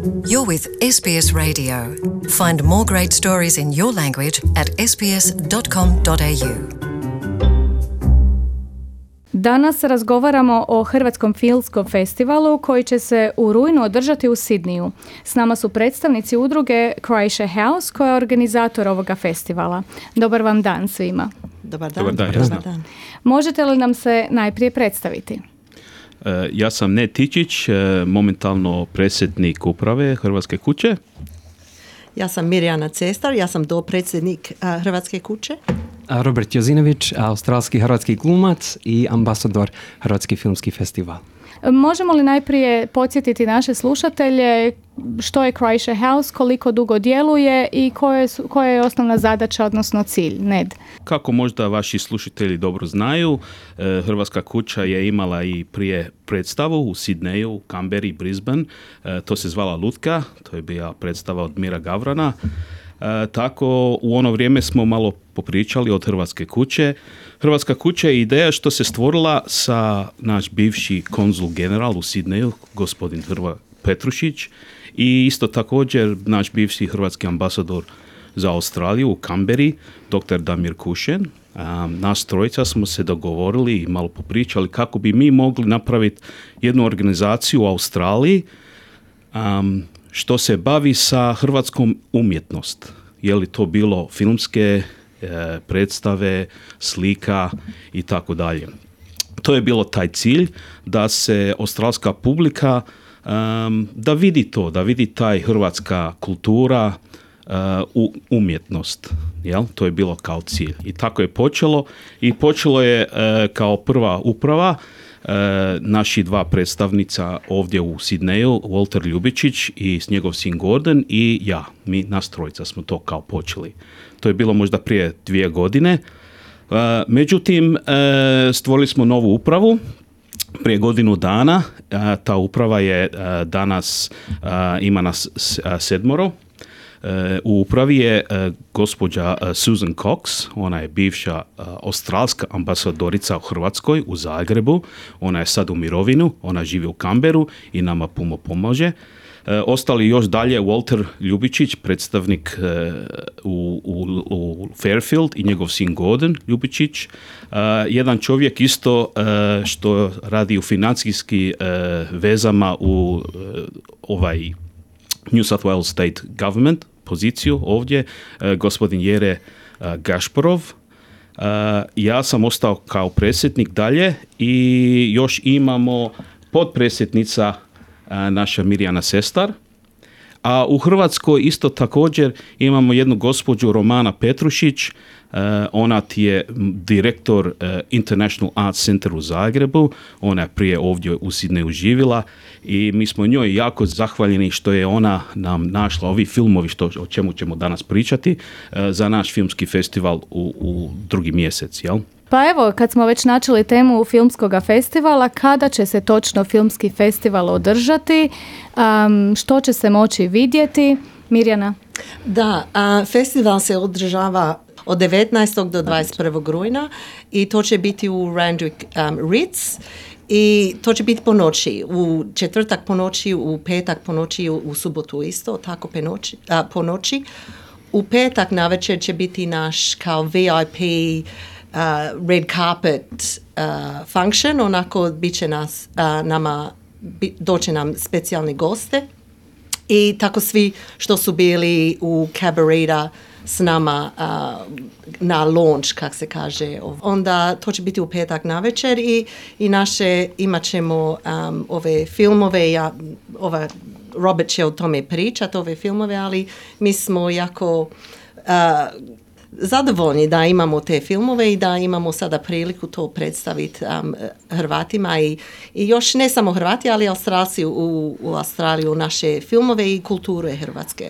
You're with SBS Radio. Find more great stories in your language at sbs.com.au. Danas razgovaramo o Hrvatskom filmskom festivalu koji će se u rujnu održati u Sidniju. S nama su predstavnici udruge Croatia House koja je organizator ovoga festivala. Dobar vam dan svima. Dobar dan. Dobar dan. Možete li nam se najprije predstaviti? Ja sam Ned Tičić, momentalno predsjednik uprave Hrvatske kuće. Ja sam Mirjana Cestar, ja sam dopredsjednik Hrvatske kuće. Robert Jozinović, australski hrvatski glumac i ambasador Hrvatski filmski festival. Možemo li najprije podsjetiti naše slušatelje što je Croatia House, koliko dugo djeluje i koja je osnovna zadaća, odnosno cilj? Ned. Kako možda vaši slušatelji dobro znaju, Hrvatska kuća je imala i prije predstavu u Sidneju, Canberri, Brisbane. To se zvala Lutka, to je bila predstava od Mira Gavrana. Tako u ono vrijeme smo malo popričali od Hrvatske kuće. Hrvatska kuća je ideja što se stvorila sa naš bivši konzul general u Sidneju, gospodin Hrva Petrušić, i isto također naš bivši hrvatski ambasador za Australiju u Canberri, dr. Damir Kušen. Nas trojica smo se dogovorili i malo popričali kako bi mi mogli napraviti jednu organizaciju u Australiji što se bavi sa hrvatskom umjetnost. Je li to bilo filmske predstave, slika i tako dalje. To je bilo taj cilj da se australska publika da vidi to, da vidi taj hrvatska kultura, umjetnost. Jel? To je bilo kao cilj. I tako je počelo. I počelo je kao prva uprava naši dva predstavnica ovdje u Sidneju, Walter Ljubičić i njegov sin Gordon i ja. Mi nas trojica smo to kao počeli. To je bilo možda prije 2 godine. Međutim, stvorili smo novu upravu prije godinu dana. Ta uprava je danas, ima nas 7. U upravi je gospođa Susan Cox, ona je bivša australska ambasadorica u Hrvatskoj u Zagrebu, ona je sad u mirovinu, ona živi u Canberru i nama puno pomaže. Ostali još dalje Walter Ljubičić, predstavnik u Fairfield i njegov sin Gordon Ljubičić. Jedan čovjek isto što radi u financijski vezama u New South Wales State Government poziciju ovdje, gospodin Jere Gašporov. Ja sam ostao kao predsjednik dalje i još imamo potpredsjednica naša Mirjana Cestar. A u Hrvatskoj isto također imamo jednu gospođu Romana Petrušić, ona ti je direktor International Arts Center u Zagrebu, ona je prije ovdje u Sidneju živjela i mi smo njoj jako zahvaljeni što je ona nam našla ovi filmovi o čemu ćemo danas pričati za naš filmski festival u 2. mjesec, jel? Pa evo, kad smo već načeli temu filmskog festivala, kada će se točno filmski festival održati, što će se moći vidjeti? Mirjana? Da, festival se održava od 19. do 21. rujna i to će biti u Randwick Ritz i to će biti po noći, u četvrtak po noći, u petak po noći, u subotu isto, tako po noći. U petak navečer će biti naš kao VIP red carpet function, onako bit će doće nam specijalni goste i tako svi što su bili u Cabareta s nama na launch, kak se kaže. Onda to će biti u petak navečer i naše imat ćemo ove filmove, Robert će o tome pričati, ove filmove, ali mi smo jako zadovoljni da imamo te filmove i da imamo sada priliku to predstaviti Hrvatima i još ne samo Hrvati, ali Australci u Australiju, naše filmove i kulture Hrvatske.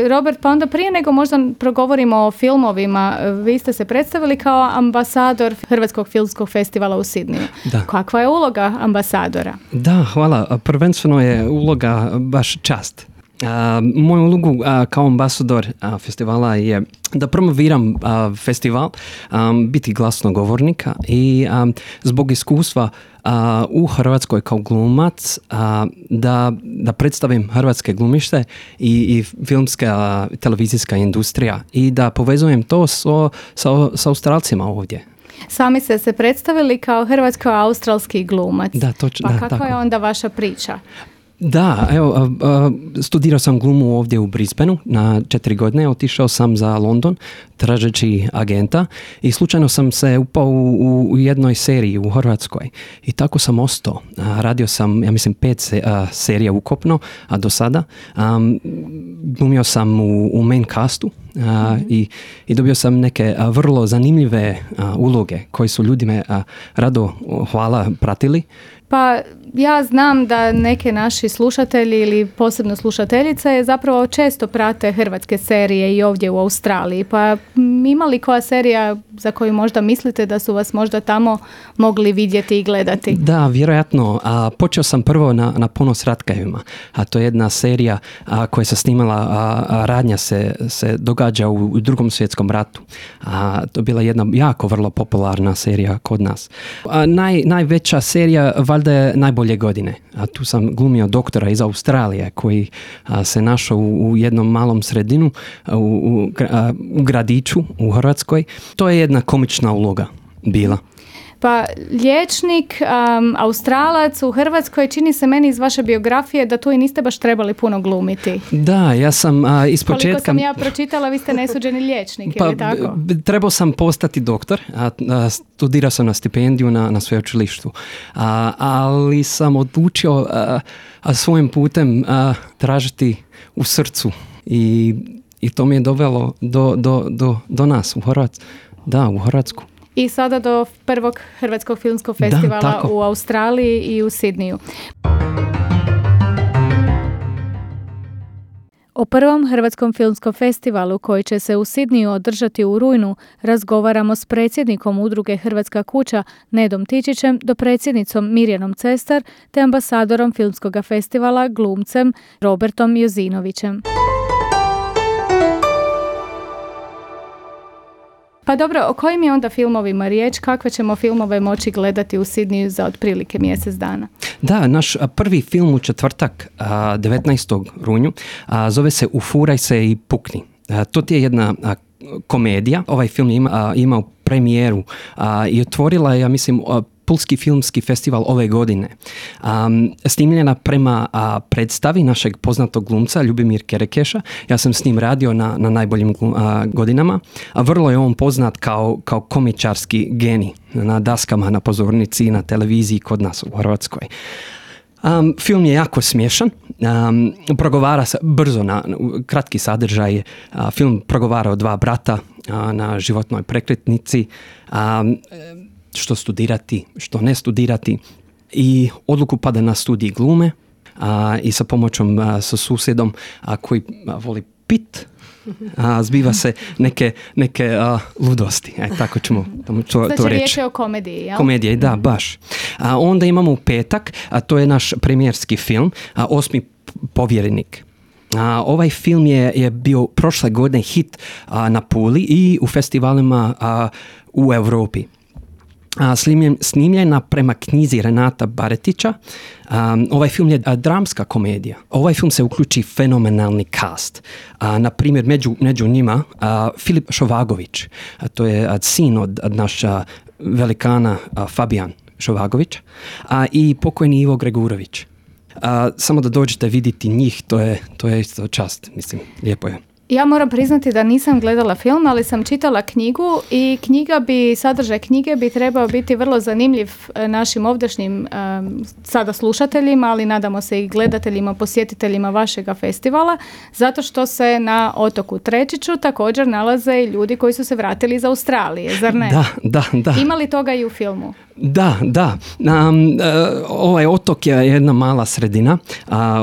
Robert, pa onda prije nego možda progovorimo o filmovima, vi ste se predstavili kao ambasador Hrvatskog filmskog festivala u Sidneju. Da. Kakva je uloga ambasadora? Da, hvala. Prvenstveno je uloga baš čast. Moju ulogu kao ambasador festivala je da promoviram festival, biti glasnogovornika i zbog iskustva u Hrvatskoj kao glumac da predstavim hrvatske glumište i filmska televizijska industrija i da povezujem to sa Australcima ovdje. Sami ste se predstavili kao hrvatsko-australski glumac. Da, točno. Pa kako je onda vaša priča? Da, evo, studirao sam glumu ovdje u Brisbaneu na 4 godine, otišao sam za London tražeći agenta i slučajno sam se upao u jednoj seriji u Hrvatskoj i tako sam ostao. Radio sam, ja mislim, 5 serija ukupno, a do sada. Glumio sam u main castu i dobio sam neke vrlo zanimljive uloge koje su ljudi me rado, hvala, pratili. Pa ja znam da neke naši slušatelji ili posebno slušateljice zapravo često prate hrvatske serije i ovdje u Australiji. Pa ima li koja serija za koju možda mislite da su vas možda tamo mogli vidjeti i gledati? Da, vjerojatno. Počeo sam prvo na Ponos Ratkajevima. To je jedna serija koja se snimala, radnja se događa u Drugom svjetskom ratu. To je bila jedna jako vrlo popularna serija kod nas. Najveća serija valjda je Najbolje godine. Tu sam glumio doktora iz Australije koji se našao u jednom malom sredinu u gradiću u Hrvatskoj. To je jedna komična uloga bila. Pa liječnik, Australac u Hrvatskoj, čini se meni iz vaše biografije da tu i niste baš trebali puno glumiti. Da, ja sam ispočetka... Koliko sam ja pročitala, vi ste nesuđeni liječnik, ili tako? Trebao sam postati doktor, studirao sam na stipendiju na sveučilištu, ali sam odlučio svojim putem tražiti u srcu i to mi je dovelo do nas u Hrvatsku. Da, u Hrvatsku. I sada do prvog Hrvatskog filmskog festivala u Australiji i u Sidniju. O prvom Hrvatskom filmskom festivalu koji će se u Sidniju održati u rujnu razgovaramo s predsjednikom udruge Hrvatska kuća Nedom Tičićem, dopredsjednicom Mirjanom Cestar te ambasadorom filmskog festivala glumcem Robertom Jozinovićem. Pa dobro, o kojim je onda filmovima riječ? Kakve ćemo filmove moći gledati u Sidniju za otprilike mjesec dana? Da, naš prvi film u četvrtak, 19. rujnu, zove se Ufuraj se i pukni. To je jedna komedija. Ovaj film je imao premijeru i otvorila je, ja mislim, Pulski filmski festival ove godine. Snimljena prema predstavi našeg poznatog glumca Ljubimir Kerekeša. Ja sam s njim radio na najboljim godinama. Vrlo je on poznat kao komičarski genij na daskama, na pozornici, na televiziji kod nas u Hrvatskoj. Film je jako smiješan, progovara se brzo na kratki sadržaj. Film progovara o 2 brata na životnoj prekretnici, što studirati, što ne studirati, i odluku pada na studij glume i sa pomoćom sa susjedom koji voli pit, zbiva se neke ludosti. Tako ćemo to reći. Znači riječ je o komediji, jel? Komedija, da, baš. Onda imamo u petak, to je naš premijerski film, 8. povjerenik. Ovaj film je bio prošle godine hit na Puli i u festivalima u Europi. Snimljena prema knjizi Renata Baretića. Ovaj film je dramska komedija. Ovaj film se uključi fenomenalni cast. Na primjer, među njima Filip Šovagović. To je sin od naša velikana Fabijan Šovagović i pokojni Ivo Gregurović. Samo da dođete vidjeti njih, to je isto čast, mislim, lijepo je. Ja moram priznati da nisam gledala film, ali sam čitala knjigu i sadržaj knjige bi trebao biti vrlo zanimljiv našim ovdašnjim sada slušateljima, ali nadamo se i gledateljima, posjetiteljima vašega festivala, zato što se na otoku Trečiću također nalaze i ljudi koji su se vratili iz Australije, zar ne? Da. Ima li toga i u filmu? Da. Ovaj otok je jedna mala sredina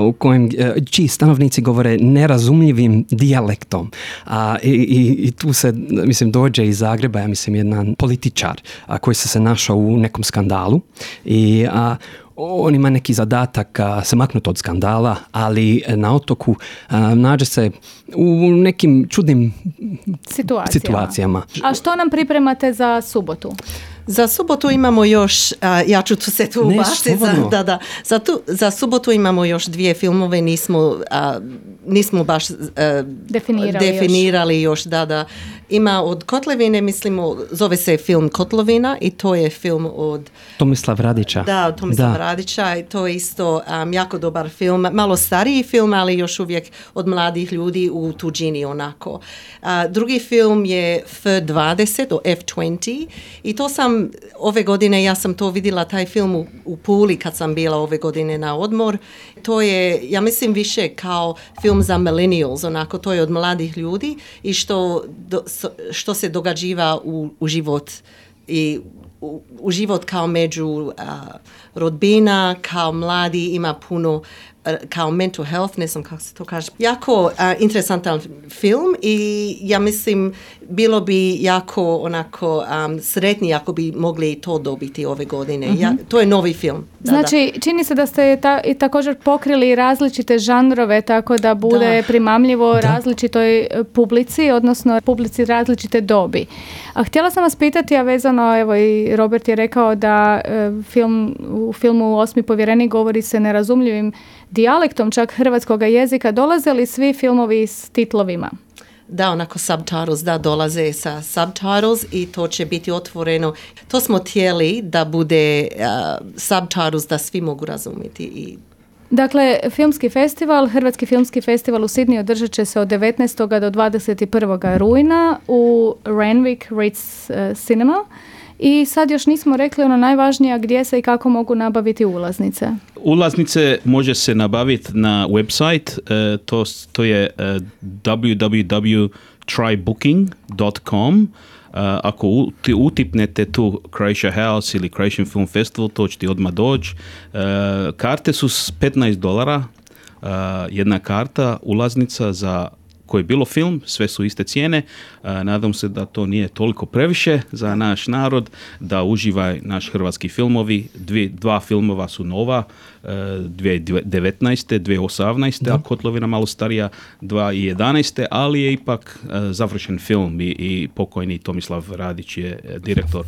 u kojem čiji stanovnici govore nerazumljivim dijalektom. I tu se, mislim, dođe iz Zagreba, ja mislim, jedan političar koji se našao u nekom skandalu i on ima neki zadatak se maknuti od skandala, ali na otoku nađe se u nekim čudnim situacijama. A što nam pripremate za subotu? Za subotu imamo još, ja ću tu se tu ubaciti, za subotu imamo još 2 filmove, nismo baš definirali još. Ima od Kotlevine, mislimo, zove se film Kotlovina i to je film od Tomislav Radića. Da, Tomislav Radića i to je isto jako dobar film, malo stariji film, ali još uvijek od mladih ljudi u tuđini onako. Drugi film je F20 o F20 i to sam ove godine, ja sam to vidjela taj film u Puli kad sam bila ove godine na odmor. To je, ja mislim, više kao film za millennials, onako, to je od mladih ljudi i što se događiva u život i u život kao među rodbina, kao mladi, ima puno kao mental health, ne znam kako se to kaže. Jako interesantan film i ja mislim bilo bi jako onako sretni ako bi mogli to dobiti ove godine. To je novi film. Znači, čini se da ste i također pokrili različite žanrove tako da bude primamljivo različitoj publici, odnosno publici različite dobi. A htjela sam vas pitati, a vezano, evo i Robert je rekao da u filmu Osmi povjerenik govori se nerazumljivim dijalektom čak hrvatskog jezika. Dolaze li svi filmovi s titlovima? Da, onako subtitles, dolaze sa subtitles i to će biti otvoreno. To smo htjeli da bude subtitles da svi mogu razumjeti. Dakle, filmski festival, Hrvatski filmski festival u Sidney održat će se od 19. do 21. rujna u Randwick Ritz Cinema. I sad još nismo rekli ono najvažnije, gdje se i kako mogu nabaviti ulaznice. Ulaznice može se nabaviti na website, to je www.trybooking.com. Ako utipnete tu Croatia House ili Croatian Film Festival, to će ti odmah doći. Karte su $15, jedna karta, ulaznica za koji je bilo film, sve su iste cijene. Nadam se da to nije toliko previše za naš narod, da uživa naš hrvatski filmovi. 2 filmova su nova, 2019. 2018. a Kotlovina malo starija 2011. ali je ipak završen film i pokojni Tomislav Radić je direktor.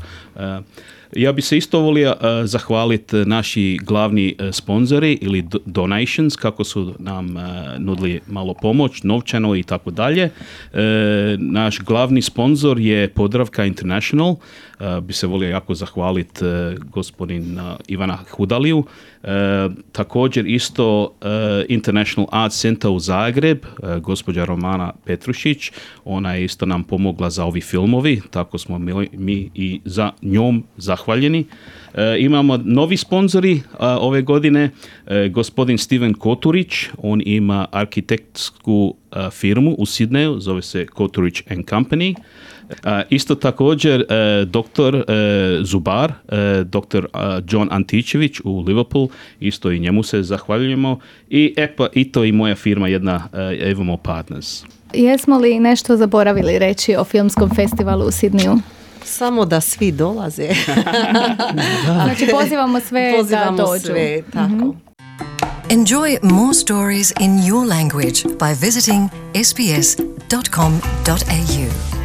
Ja bi se isto volio zahvaliti naši glavni sponzori ili donations, kako su nam nudili malo pomoć, novčano i tako dalje. Naš glavni sponzor je Podravka International. Bi se volio jako zahvaliti gospodin Ivana Hudaliju. Također isto International Arts Center u Zagreb, gospođa Romana Petrušić, ona je isto nam pomogla za ovi filmovi, tako smo mi i za njom zahvaljeni. Imamo novi sponzori ove godine, gospodin Steven Koturić, on ima arhitektsku firmu u Sidneju, zove se Koturić & Company. Isto također doktor zubar, doktor John Antičević u Liverpool, isto i njemu se zahvaljujemo. I to i moja firma jedna Evamo Partners. Jesmo li nešto zaboravili reći o filmskom festivalu u Sidneju? Samo da svi dolaze. Znači pozivamo sve da dođu. Sve, tako. Enjoy more stories in your language by visiting sbs.com.au.